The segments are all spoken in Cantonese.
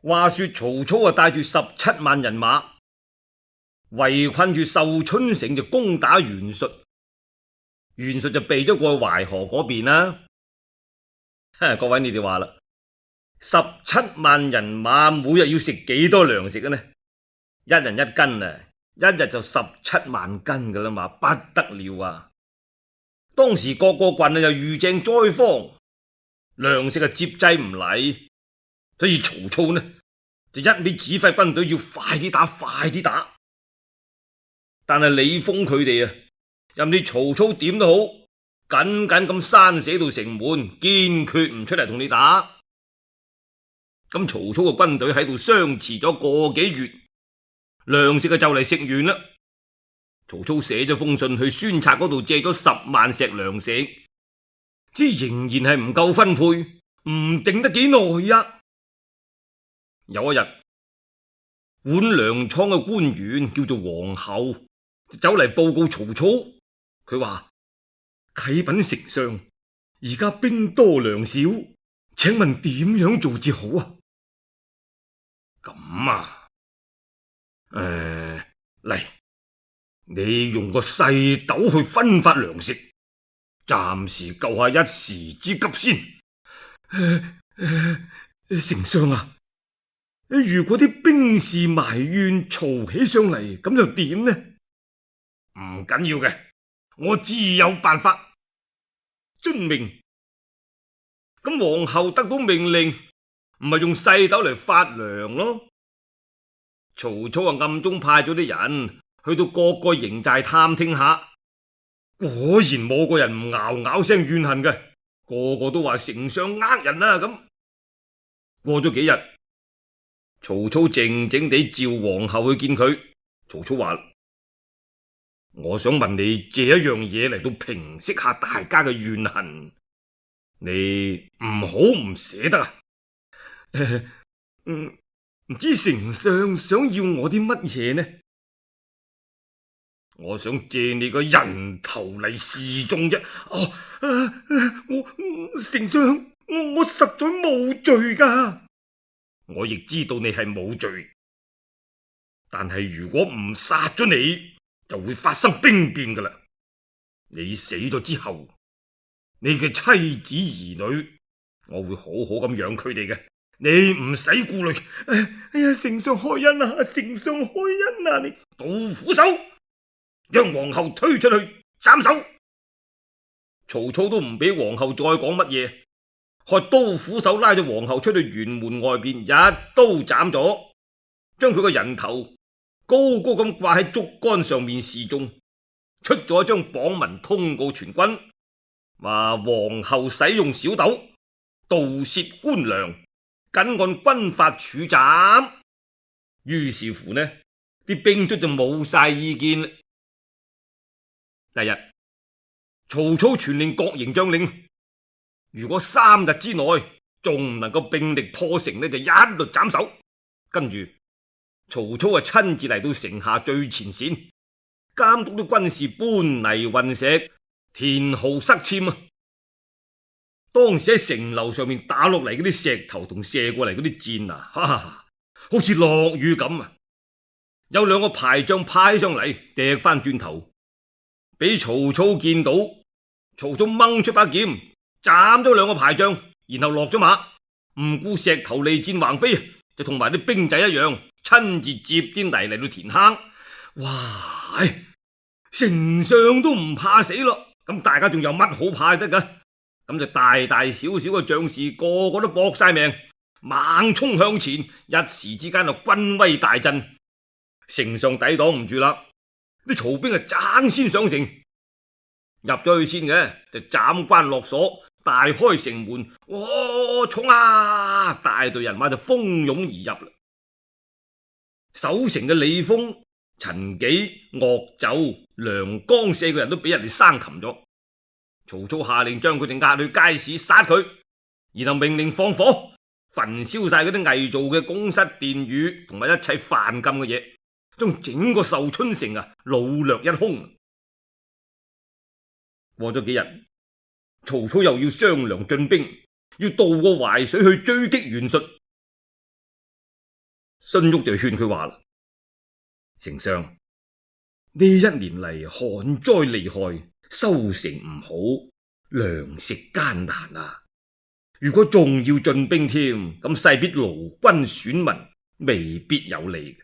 話說曹操帶住17萬人馬圍困住壽春城，就攻打袁術。袁術就避咗過去淮河嗰邊啦。各位你哋話啦，17萬人馬每日要食幾多糧食呢？一人一斤啊，一日就17萬斤噶啦嘛，不得了啊！當時各個郡又遇正災荒，糧食接濟唔嚟，所以曹操呢就一味指揮軍隊要快啲打，快啲打。但係李豐佢哋啊，任你曹操點都好，緊緊咁閂死到城門，堅決唔出嚟同你打。咁曹操嘅軍隊喺度相持咗個幾月，糧食就嚟食完啦。曹操寫咗封信去孫策嗰度借咗10萬石糧食，之仍然係唔夠分配，唔定得幾耐呀。有一日，管糧倉嘅官員叫做黃后，走嚟報告曹操。佢話：啟稟丞相，而家兵多糧少，請問點樣做至好啊？咁啊，嚟，你用個細斗去分發糧食，暫時救下一時之急先。丞相啊，如果啲兵士埋怨嘈起上嚟，咁就點呢？唔緊要嘅，我自有辦法。遵命。咁皇后得到命令，唔係用細斗嚟發糧咯。曹操暗中派咗啲人去到各個營寨探聽下，果然冇個人唔嗷嗷聲怨恨嘅，個個都話丞相呃人啦。咁過咗幾日，曹操靜靜地召皇后去見佢。曹操話：我想問你借一樣嘢嚟到平息下大家嘅怨恨，你唔好唔捨得啊？唔知丞相想要我啲乜嘢呢？我想借你個人頭嚟示眾啫。丞相，我實在冇罪噶。我亦知道你係冇罪，但係如果唔殺咗你，就會發生兵變噶啦。你死咗之後，你嘅妻子兒女，我會好好咁養佢哋嘅，你唔使顧慮。哎呀，丞相開恩啊！丞相開恩啊！你杜虎手，將皇后推出去斬首。曹操都唔俾皇后再講乜嘢，開刀斧手拉咗皇后出去轅門外邊，一刀斬咗，將佢個人頭高高咁掛喺竹竿上面示眾，出咗一張榜文通告全軍，話皇后使用小斗盜竊官糧，謹按軍法處斬。於是乎呢，啲兵卒就冇晒意見。第日，曹操傳令各營將領，如果3日之內仲唔能夠並力破城呢，就一律斬首。跟住曹操親自嚟到城下最前線，監督啲軍士搬泥運石、填壕塞簽啊。當時喺城樓上面打落嚟嗰啲石頭同射過嚟嗰啲箭啊，好似落雨咁啊！有2個排將派上嚟，掟翻轉頭，俾曹操見到。曹操掹出把劍，斬咗2個排將，然後落咗馬，唔顧石頭利箭橫飛，就同埋啲兵仔一樣，親自接啲泥嚟到填坑。哇！丞相都唔怕死咯，咁大家仲有乜好怕得噶？咁就大大小小嘅將士個個都搏晒命，猛衝向前，一時之間就軍威大振。丞相抵擋唔住啦，啲曹兵爭先上城，入咗去先嘅就斬關落鎖，大開城門。哇！衝啊！大隊人馬就蜂擁而入啦。守城嘅李豐、陳紀、岳就、梁江4個人都俾人哋生擒咗。曹操下令將佢哋押去街市殺佢，然後命令放火焚燒晒嗰啲偽造嘅宮室殿宇同埋一切犯禁嘅嘢，將整個壽春城擄掠一空。過咗幾日，曹操又要商量進兵，要渡過淮水去追擊袁術。荀彧就勸佢話啦：丞相，呢一年嚟旱災厲害，收成唔好，糧食艱難啊！如果仲要進兵添，咁勢必勞軍損民，未必有利。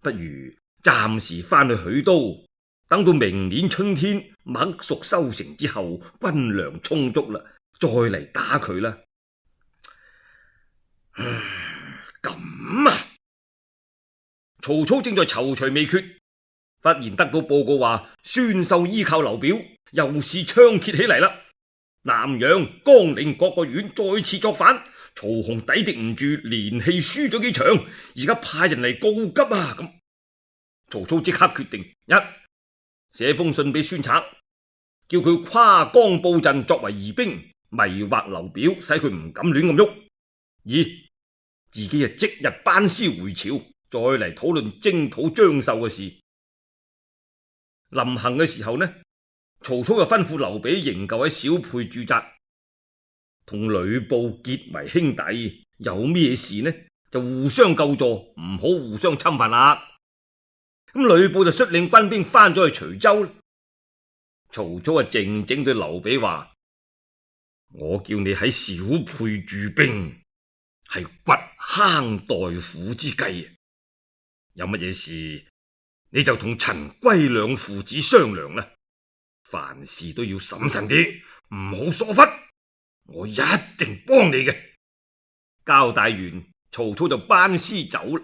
不如暫時翻去許都，等到明年春天麥熟收成之後，軍糧充足啦，再嚟打佢啦。咁啊！曹操正在躊躇未決，忽然得到報告話孫秀依靠劉表，又是猖獗起嚟啦。南陽、江陵各個縣再次作反，曹洪抵敵唔住，連氣輸咗幾場，而家派人嚟告急啊！咁曹操即刻決定：一，寫封信俾孫策，叫佢跨江布陣作為疑兵，迷惑劉表，使佢唔敢亂咁喐；二，自己即日班師回朝，再嚟討論征討張繡嘅事。臨行嘅時候呢，曹操又吩咐劉備營救喺小沛駐紮，同呂布結為兄弟，有咩事呢就互相救助，唔好互相侵犯啦。咁呂布就率領軍兵翻咗去徐州。曹操啊靜靜對劉備話：我叫你喺小沛駐兵，係掘坑待虎之計，有乜嘢事你就同陳歸兩父子商量啦。凡事都要審慎啲，唔好疏忽，我一定幫你嘅。交代完，曹操就班師走啦。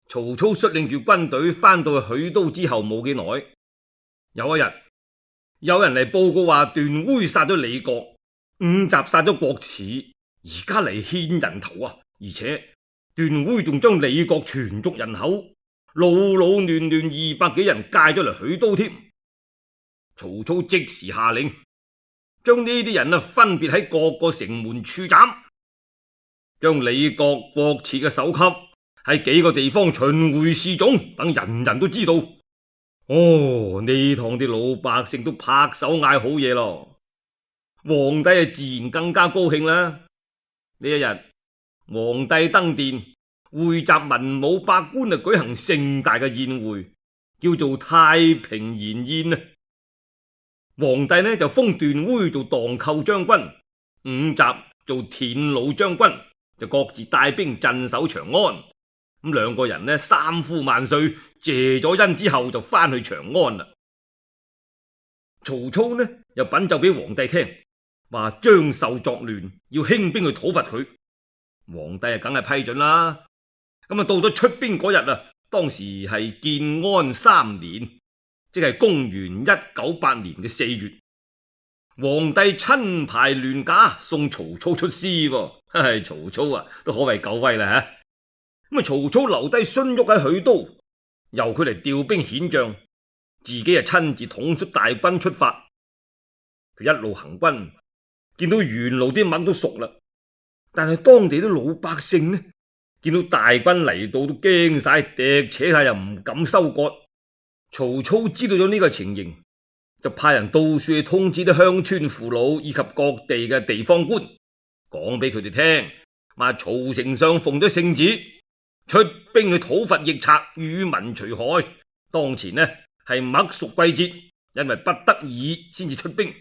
曹操率領住軍隊翻到去許都之後冇幾耐，有一日有人嚟報告話段煻殺咗李傕，伍習殺咗郭汜，而家嚟獻人頭啊！而且段煻仲將李傕全族人口老老嫩嫩200幾人介咗嚟許都添。曹操即時下令，將呢啲人分別喺各個城門處斬，將李傕、郭汜嘅首級喺幾個地方巡迴示眾，等人人都知道。哦，呢趟啲老百姓都拍手嗌好嘢咯，皇帝自然更加高興啦。呢一日，皇帝登殿匯集文武百官舉行盛大嘅宴會，叫做太平筵宴啊！皇帝呢就封段煻做蕩寇將軍，伍習做田魯將軍，就各自帶兵鎮守長安。咁兩個人呢三呼萬歲，謝咗恩之後就翻去長安啦。曹操呢又稟奏俾皇帝聽，話張繡作亂，要興兵去討伐佢。皇帝梗係批准啦。咁到咗出兵嗰日啊，當時係建安3年，即係公元198年嘅4月，皇帝親排鑾駕送曹操出師。曹操啊都可謂夠威啦吓。咁曹操留低荀彧喺許都，由佢嚟調兵遣將，自己親自統率大軍出發。佢一路行軍，見到沿路啲麥都熟啦，但係當地啲老百姓呢，見到大軍嚟到都驚晒，趯扯下又唔敢收割。曹操知道咗呢個情形，就派人到處去通知啲鄉村父老以及各地嘅地方官，講俾佢哋聽，話曹丞相奉咗聖旨，出兵去討伐逆賊，與民除害。當前呢係麥熟季節，因為不得已先至出兵。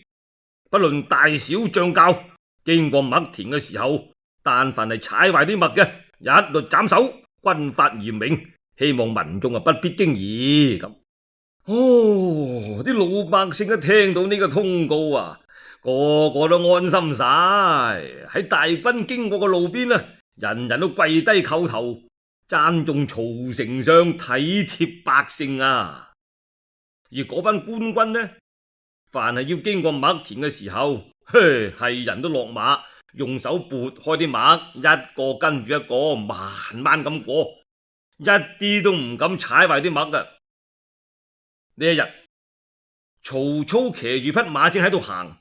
不論大小將校，經過麥田嘅時候，但凡係踩壞啲麥嘅，一律斬首，軍法嚴明，希望民眾不必驚疑。咁啲老百姓一聽到呢個通告啊，個個都安心晒。喺大軍經過嘅路邊啊，人人都跪低叩頭，讚頌曹丞相體貼百姓啊。而嗰班官軍呢，凡係要經過麥田嘅時候，係人都落馬，用手撥開啲麥，一個跟住一個，慢慢咁過，一啲都唔敢踩壞啲麥噶。呢一日，曹操騎住匹馬正喺度行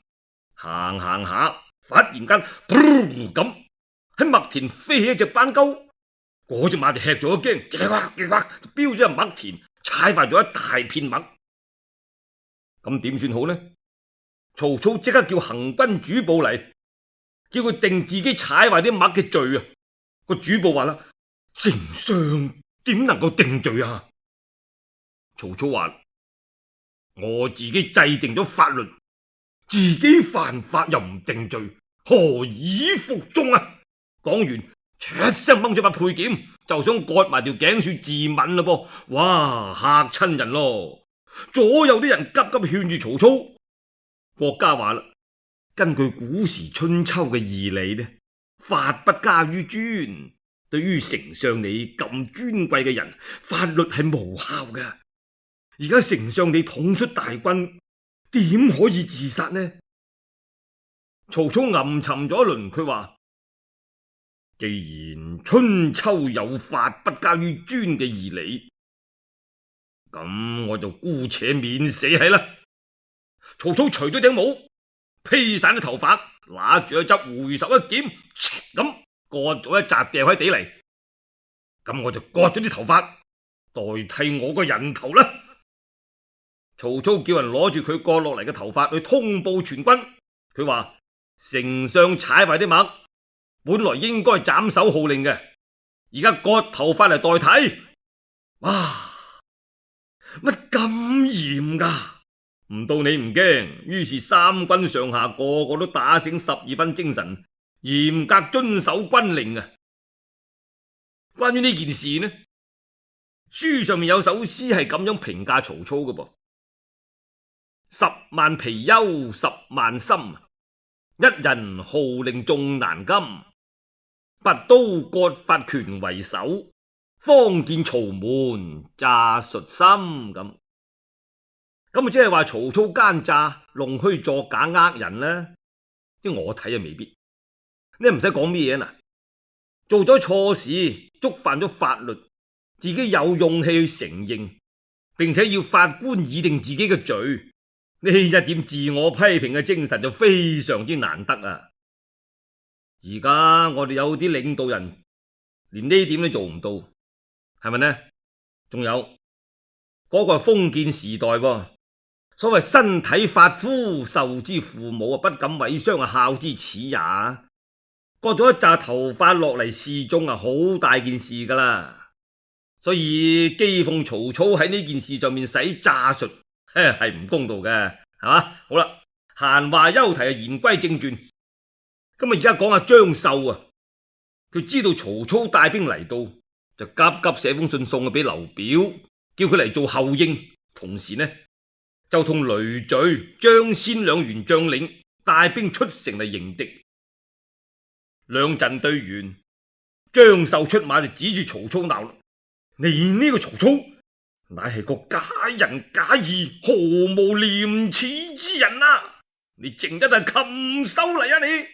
下，忽然間咁喺麥田飛起一隻斑鳩，嗰隻馬就吃咗一驚，就飆咗入麥田，踩壞咗一大片麥。咁點算好呢？曹操即刻叫行軍主簿嚟，叫佢定自己踩壞啲麥嘅罪啊！個主簿話啦：丞相點能夠定罪啊？曹操話：我自己制定咗法律，自己犯法又唔定罪，何以服眾啊？講完，一聲掹咗把佩劍，就想割埋條頸算自刎啦噃！哇，嚇親人咯！左右啲人急急勸住曹操。國家話啦，根據古時春秋嘅義理呢，法不加於尊。對於丞相你咁尊貴嘅人，法律係無效嘅。而家丞相你統率大軍，點可以自殺呢？曹操吟沉咗一輪，佢話：既然春秋有法不加於尊嘅義理，咁我就姑且免死係啦。曹操除咗頂帽，披散啲頭髮，拿住一執回首一劍，咁割咗一紮掉喺地嚟。咁我就割咗啲頭髮，代替我個人頭啦。曹操叫人攞住佢割落嚟嘅頭髮去通報全軍。佢話：丞相踩壞啲麥，本來應該斬首號令嘅，而家割頭髮嚟代替。哇！乜咁嚴噶？唔到你唔驚，於是三軍上下個個都打醒12分精神，嚴格遵守軍令啊！關於呢件事呢，書上面有首詩係咁樣評價曹操嘅噃：10萬貔貅10萬心，一人號令眾難禁。拔刀割髮權為首，方見曹門詐術深。咁即係話曹操奸詐、弄虛作假、呃人呢？即我睇啊，未必。你唔使講咩嘢嗱，做咗錯事，觸犯咗法律，自己有勇氣去承認，並且要法官擬定自己嘅罪，呢一點自我批評嘅精神就非常之難得啊！而家我哋有啲領導人連呢點都做唔到，係咪呢？仲有嗰個係封建時代喎，所謂身體髮膚，受之父母啊，不敢毀傷啊，孝之始也。割咗一紮頭髮落嚟示眾啊，好大件事噶啦。所以譏諷曹操喺呢件事上面使詐術，係唔公道嘅，係嘛？好啦，閒話休提啊，言歸正傳。咁啊，而家講下張繡啊，佢知道曹操帶兵嚟到，就急急寫封信送去俾劉表，叫佢嚟做後應。同時呢，就同雷敘、張先兩員將領帶兵出城嚟迎敵。兩陣對完，張繡出馬就指住曹操鬧啦：你呢個曹操，乃係個假仁假義、毫無廉恥之人啊！你淨真係禽獸嚟啊你！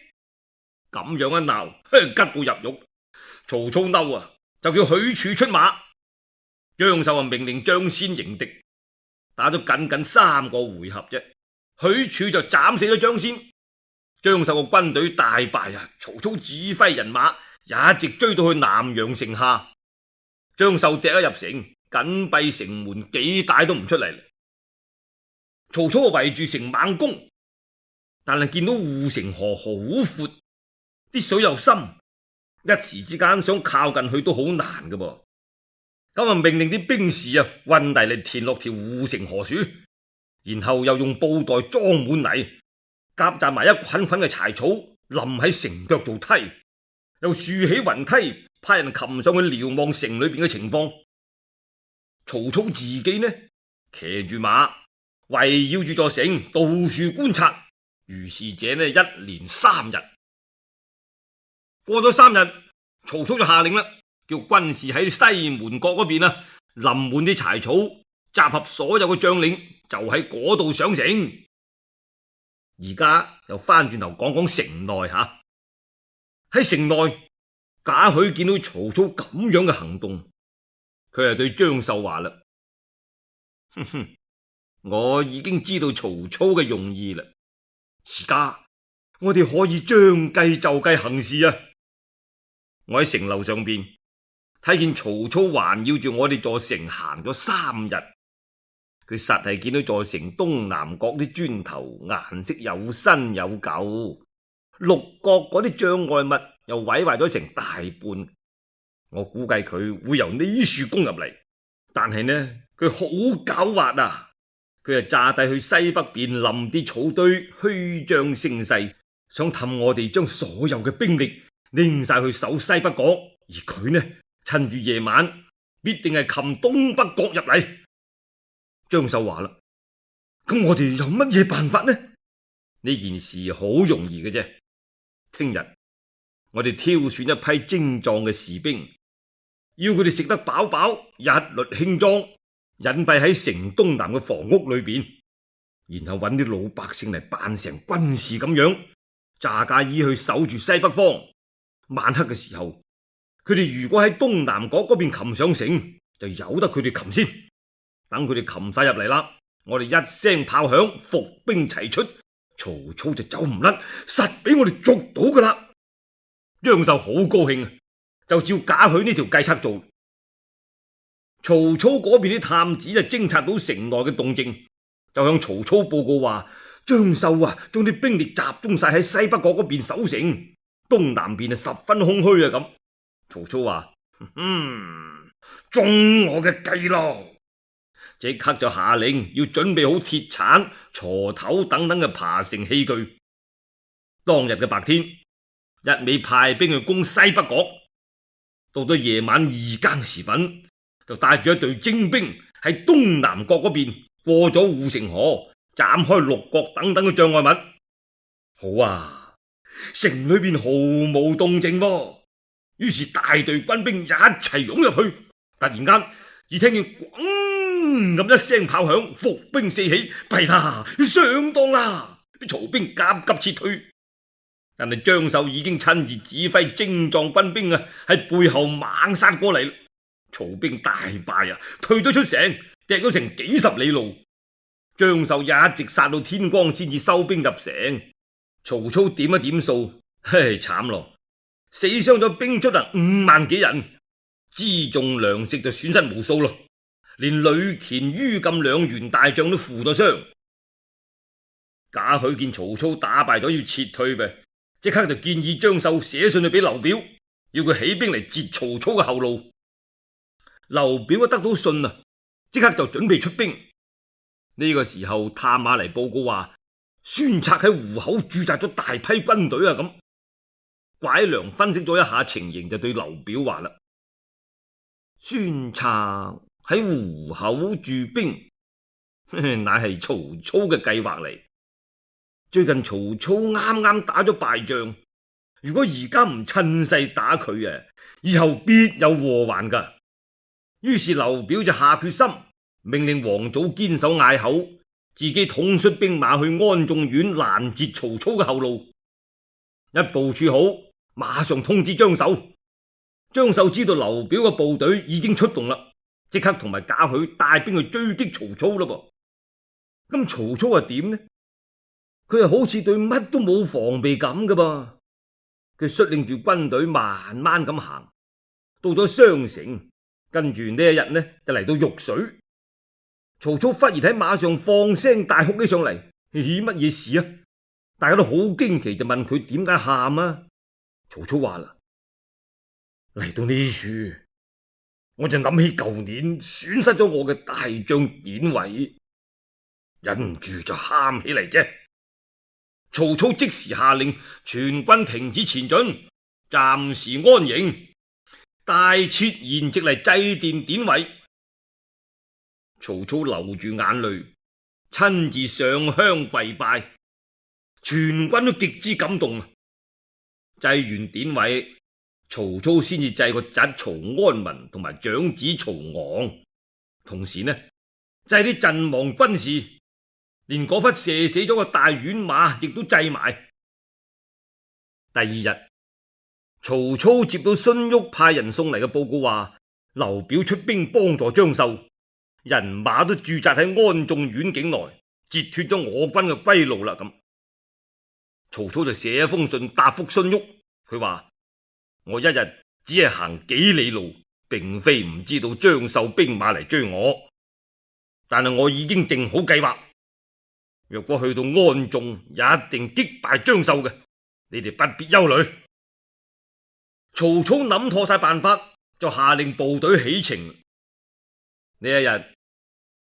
咁樣一鬧，吉到入獄。曹操嬲啊，就叫許褚出馬。張繡啊，命令張先迎敵，打咗僅僅3個回合啫，許褚就斬死咗張先。張繡個軍隊大敗啊！曹操指揮人馬一直追到去南陽城下，張繡趯咗入城，緊閉城門，幾大都唔出嚟。曹操圍住城猛攻，但係見到護城河好闊，啲水又深，一時之間想靠近去都好難㗎噃。咁啊，命令啲兵士啊運泥嚟填落條護城河處，然後又用布袋裝滿泥，夾雜埋一捆捆嘅柴草，淋喺城腳做梯，又豎起雲梯，派人擒上去瞭望城裏邊嘅情況。曹操自己呢，騎住馬圍繞住座城，到處觀察。如是者呢，一連3日。過咗3日，曹操就下令啦，叫軍士喺西門角嗰邊啊，淋滿啲柴草，集合所有嘅將領，就喺嗰度上城。而家又翻轉頭講講城內吓，喺城內，賈詡見到曹操咁樣嘅行動，佢係對張繡話啦：哼哼，我已經知道曹操嘅用意啦，而家我哋可以將計就計行事啊！我喺城樓上邊睇見曹操環繞住我哋座城行咗3日，佢實係見到座城東南角啲磚頭顏色有新有舊，六角嗰啲障礙物又毀壞咗成大半，我估計佢會由呢處攻入嚟，但係呢，佢好狡猾啊！佢係詐帝去西北邊林啲草堆，虛張聲勢，想氹我哋將所有嘅兵力拎晒去守西北角，而佢呢，趁住夜晚必定係擒東北角入嚟。張繡話啦：咁我哋有乜嘢辦法呢？呢件事好容易嘅啫。聽日我哋挑選一批精壯嘅士兵，要佢哋食得飽飽，一律輕裝，隱蔽喺城東南嘅房屋裏邊，然後揾啲老百姓嚟扮成軍士咁樣，揸架衣去守住西北方。晚黑嘅時候，佢哋如果喺東南角嗰邊擒上城，就由得佢哋擒先。等佢哋擒晒入嚟啦，我哋一聲炮響，伏兵齊出，曹操就走唔甩，實俾我哋捉到噶啦。張繡好高興啊，就照賈詡呢條計策做。曹操嗰邊啲探子就偵察到城內嘅動靜，就向曹操報告話：張繡啊，將啲兵力集中晒喺西北角嗰邊守城，東南邊啊十分空虛啊咁。曹操話：中我嘅計咯！即刻就下令要準備好鐵鏟、鋤頭等等嘅爬城器具。當日嘅白天，一味派兵去攻西北角，到咗夜晚二更時分，就帶住一隊精兵喺東南角嗰邊過咗護城河，斬開六角等等嘅障礙物。好啊，城裏邊毫無動靜喎。於是大隊軍兵一齊湧入去，突然間只聽見咣咁一聲炮響，伏兵四起，弊啦，上當啦！啲曹兵急急撤退，但係張繡已經親自指揮精壯軍兵啊，喺背後猛殺過嚟。曹兵大敗啊，退咗出城，趯咗成幾十里路。張繡一直殺到天光先至收兵入城。曹操點一點數，嘿，慘咯，死傷咗兵出啊5萬幾人，輜重糧食就損失無數咯。連呂虔、于禁兩員大將都負咗傷。賈詡見曹操打敗咗要撤退唄，即刻就建議張繡寫信去俾劉表，要佢起兵嚟截曹操嘅後路。劉表一得到信啊，即刻就準備出兵。呢個時候探馬嚟報告話，孫策喺湖口駐紮咗大批軍隊啊咁。蒯良分析咗一下情形，就對劉表話啦：孫策喺湖口駐兵，乃係曹操嘅計劃嚟。最近曹操啱啱打咗敗仗，如果而家唔趁勢打佢啊，以後必有禍患噶。於是劉表就下決心，命令王祖堅守隘口，自己統率兵馬去安眾縣攔截曹操嘅後路。一部署好，馬上通知張繡。張繡知道劉表嘅部隊已經出動啦，即刻同埋賈詡帶兵去追擊曹操啦噃。咁曹操係點呢？佢係好似對乜都冇防備咁噶噃。佢率領住軍隊慢慢咁行，到咗商城，跟住呢一日呢就嚟到玉水。曹操忽然喺馬上放聲大哭起上嚟，乜嘢事啊？大家都好驚奇，就問佢點解喊啊？曹操話啦：嚟到呢處，我就諗起舊年損失咗我嘅大將典韋，忍唔住就喊起嚟啫。曹操即時下令全軍停止前進，暫時安營，大設筵席嚟祭奠典韋。曹操流住眼淚，親自上香跪拜，全軍都極之感動。祭完典韋，曹操先至祭個侄曹安民同埋長子曹昂，同時呢祭啲陣亡軍士，連嗰匹射死咗個大宛馬亦都祭埋。第二日，曹操接到荀彧派人送嚟嘅報告，話劉表出兵幫助張繡，人馬都駐紮喺安眾縣境內，截脫咗我軍嘅歸路啦。咁曹操就寫一封信答覆荀彧，佢話：我一日只係行幾里路，並非唔知道張繡兵馬嚟追我，但係我已經定好計劃，若果去到安眾，一定擊敗張繡嘅，你哋不必憂慮。曹操諗妥晒辦法，就下令部隊起程。呢一日，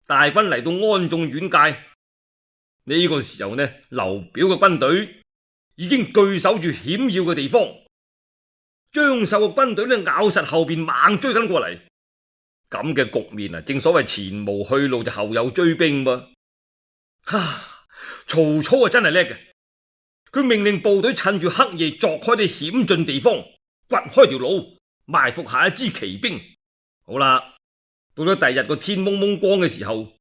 大軍嚟到安眾縣界。呢個時候呢，劉表嘅軍隊已經據守住險要嘅地方，張繡嘅軍隊呢咬實後邊猛追緊過嚟。咁嘅局面啊，正所謂前無去路就後有追兵噃。曹操啊真係叻嘅，佢命令部隊趁住黑夜鑿開啲險峻地方，掘開條路，埋伏下一支騎兵。好啦，到咗第二日個天蒙蒙光嘅時候，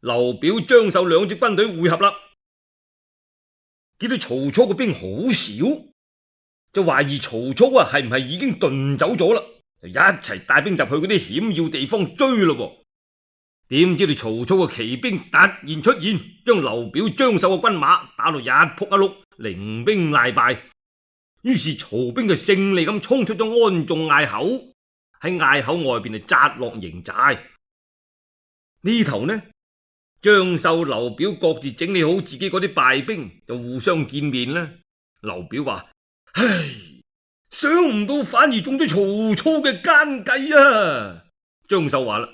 劉表、張繡兩支軍隊會合啦。見到曹操嘅兵好少，就懷疑曹操啊係唔係已經遁走咗啦，就一齊帶兵入去嗰啲險要地方追咯。點知道曹操嘅騎兵突然出現，將劉表、張繡嘅軍馬打到一仆一碌，零兵賴敗。於是曹兵就勝利咁衝出咗安眾隘口，喺隘口外邊就紮落營寨。呢頭呢，張繡、劉表各自整理好自己嗰啲敗兵，就互相見面啦。劉表話：唉，想唔到反而中咗曹操嘅奸計啊！張繡話啦：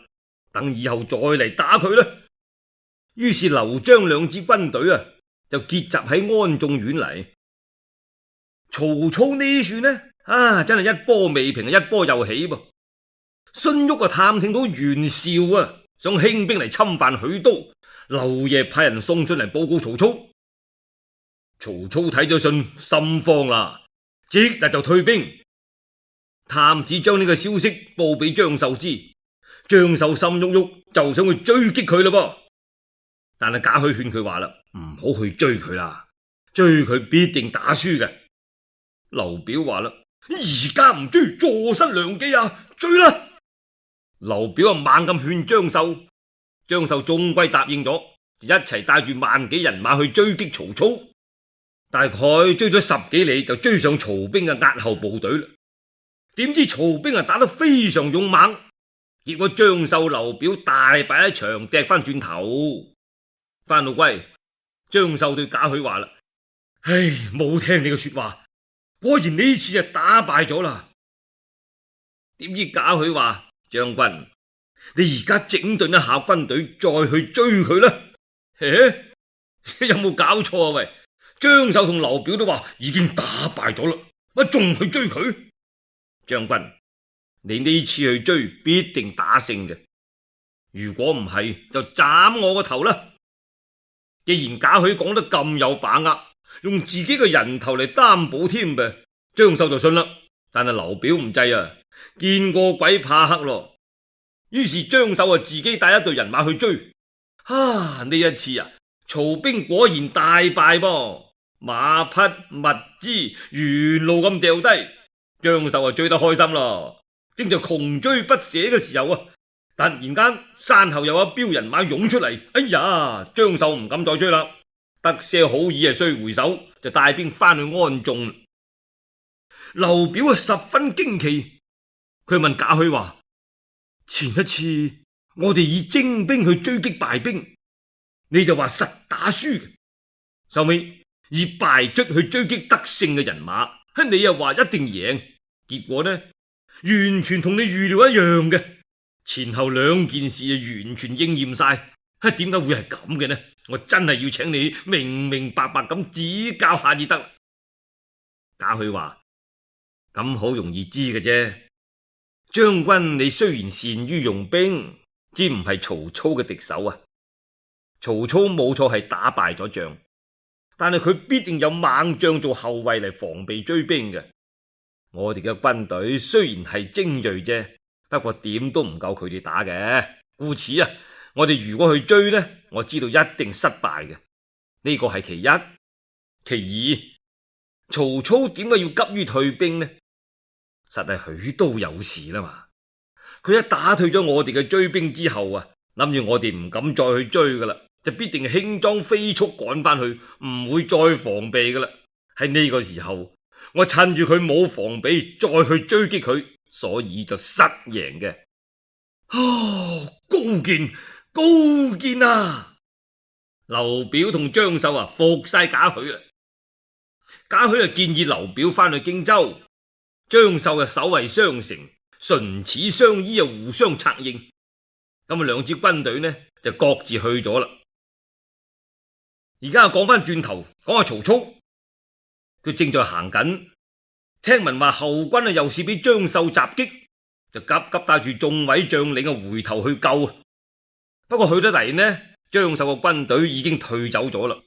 等以後再嚟打佢啦。於是劉張兩支軍隊啊，就結集喺安眾縣嚟。曹操呢處呢，真係一波未平，一波又起噃。荀彧探聽到袁紹啊想興兵嚟侵犯許都，漏夜派人送信嚟報告曹操。曹操睇咗信，心慌啦，即日就退兵。探子將呢個消息報俾張繡知，張繡心郁郁，就想去追擊佢嘞噃。但係賈詡勸佢話啦，唔好去追佢啦，追佢必定打輸嘅。劉表話啦，而家唔追，坐失良機啊，追啦！劉表猛咁勸張繡，張繡終歸答應咗，一齊帶住萬幾人馬去追擊曹操。大概追咗10幾里，就追上曹兵嘅押後部隊啦。點知曹兵打得非常勇猛，結果張繡、劉表大敗一場，踢翻轉頭。翻到歸，張繡對賈詡話啦：唉，冇聽你嘅說話，果然呢次就打敗咗啦。點知賈詡話：將軍，你而家整頓一下軍隊，再去追佢啦。有冇搞錯啊？喂，張繡同劉表都話已經打敗咗啦，乜仲去追佢？將軍，你呢次去追必定打勝嘅，如果唔係就斬我個頭啦。既然賈詡講得咁有把握，用自己嘅人頭嚟擔保添噃，張繡就信啦。但係劉表唔制啊，見過鬼怕黑咯。於是張繡自己帶一隊人馬去追。呢一次曹兵果然大敗噃，馬匹物資沿路咁掉低。張繡追得開心咯，正在窮追不捨嘅時候突然間山後有一彪人馬湧出嚟。哎呀，張繡唔敢再追啦，得些好意雖回首，就帶兵翻去安眾。劉表十分驚奇，佢問賈詡話：前一次我哋以精兵去追擊敗兵，你就話實打輸嘅，後尾以敗卒去追擊得勝嘅人馬，你又話一定贏，結果呢完全同你預料一樣嘅，前後兩件事完全應驗晒。點解會係咁嘅呢？我真係要請你明明白白咁指教下至得。賈詡話：咁好容易知嘅啫，將軍你雖然善於用兵，之唔係曹操嘅敵手啊。曹操冇錯係打敗咗仗，但係佢必定有猛將做後衛嚟防備追兵嘅。我哋嘅軍隊雖然係精銳啫，不過點都唔夠佢哋打嘅。故此我哋如果去追呢，我知道一定失敗嘅。呢個係其一。其二，曹操點解要急於退兵呢？實係許都有事啦嘛。佢一打退咗我哋嘅追兵之後諗住我哋唔敢再去追噶啦，就必定輕裝飛速趕翻去，唔會再防備噶啦。喺呢個時候，我趁住佢冇防備再去追擊佢，所以就失贏嘅。高見高見啊！劉表同張繡服晒賈詡啦。賈詡建議劉表翻去荊州，張繡守衛商城，唇齒相依啊，互相策應。咁啊，兩支軍隊呢就各自去咗啦。而家講翻轉頭，講下曹操，佢正在行緊，聽聞話後軍啊又是俾張繡襲擊，就急急帶住眾位將領啊回頭去救啊。不過去得嚟呢，張繡個軍隊已經退走咗啦。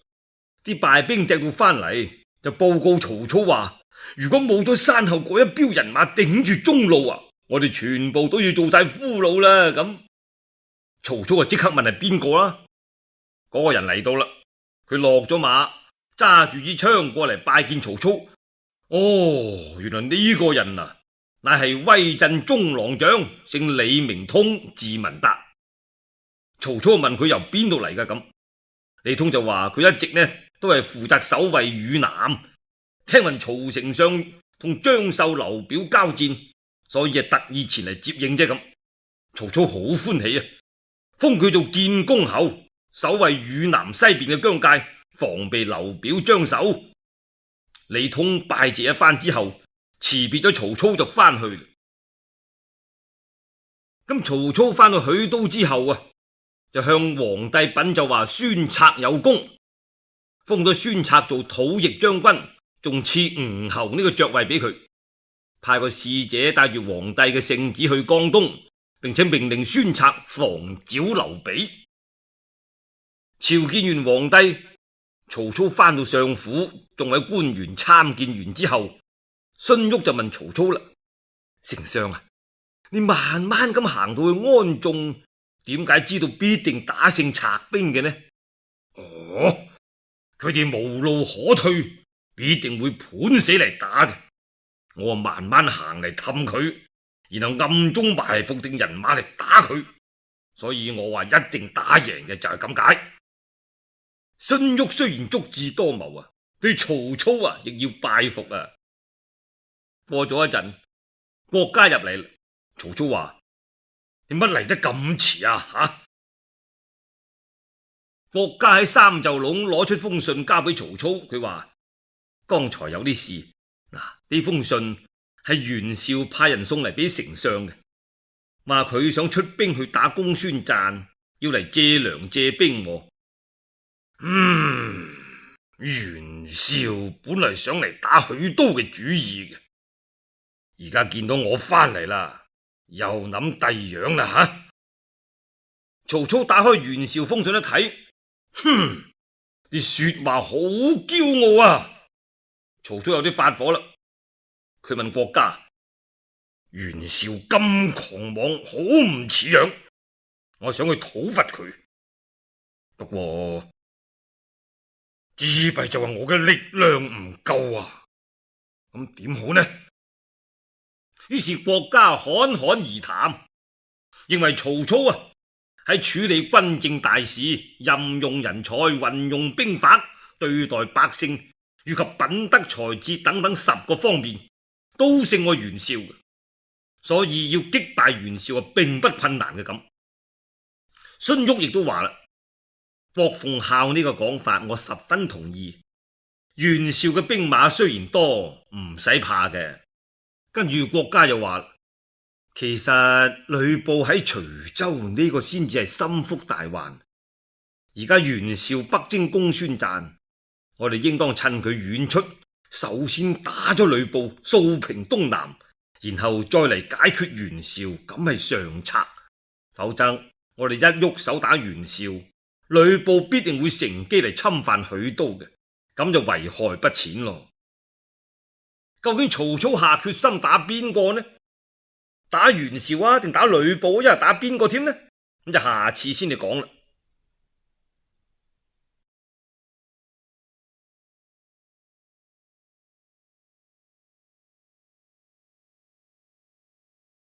啲敗兵掟到翻嚟，就報告曹操話：如果冇咗山後嗰一彪人馬頂住中路啊，我哋全部都要做晒俘虜啦。咁曹操就即刻問係邊個啦？嗰個人嚟到啦，佢落咗馬，揸住支槍過嚟拜見曹操。哦，原來呢個人啊，乃係威震中郎將，姓李，名通，字文達。曹操問佢由邊度嚟噶？咁李通就話佢一直呢都係負責守衛汝南，聽聞曹丞相同張繡、劉表交戰，所以係特意前嚟接應啫。咁曹操好歡喜啊，封佢做建功侯，守衛汝南西邊嘅疆界，防備劉表、張繡。李通拜謝一番之後，辭別咗曹操就翻去啦。咁曹操翻到許都之後啊，就向皇帝稟奏話孫策有功，封咗孫策做討逆將軍，仲賜吳侯呢個爵位俾佢，派個使者帶住皇帝嘅聖旨去江東，並且命令孫策防剿劉備。朝見完皇帝，曹操翻到相府，眾位官員參見完之後，荀彧就問曹操啦：丞相啊，你慢慢咁行到去安眾，點解知道必定打勝賊兵嘅呢？哦，佢哋無路可退，必定會盤死嚟打嘅。我慢慢行嚟氹佢，然後暗中埋伏定人馬嚟打佢，所以我話一定打贏嘅就係咁解。荀彧雖然足智多謀啊，對曹操啊亦要拜服啊。過咗一陣，郭嘉入嚟，曹操話：你乜嚟得咁遲啊？吓！郭嘉喺三袖籠攞出封信交俾曹操，佢話：剛才有啲事，嗱，呢封信係袁紹派人送嚟俾丞相嘅，話佢想出兵去打公孫瓚，要嚟借糧借兵。袁紹本嚟想嚟打許都嘅主意嘅，而家見到我翻嚟啦，又諗第樣啦吓。曹操打開袁紹封信一睇，啲說話好驕傲啊！曹操有啲發火啦，佢問郭嘉：袁紹咁狂妄，好唔似樣，我想去討伐佢，不過之弊就係我嘅力量唔夠啊，咁點好呢？於是郭嘉侃侃而談，認為曹操啊喺處理軍政大事、任用人才、運用兵法、對待百姓以及品德才智等等10個方面都勝過袁紹，所以要擊敗袁紹啊並不困難嘅。咁荀彧亦都話啦，郭奉孝呢個講法我十分同意。袁紹嘅兵馬雖然多，唔使怕嘅。跟住郭嘉又話，其實呂布喺徐州呢個先至係心腹大患。而家袁紹北征公孫瓚，我哋應當趁佢遠出，首先打咗呂布，掃平東南，然後再嚟解決袁紹，咁係上策。否則我哋一喐手打袁紹，呂布必定會乘機嚟侵犯許都嘅，咁就危害不淺咯。究竟曹操下決心打邊個呢？打袁紹啊，定打呂布，一係打邊個添呢？咁就下次先至講啦。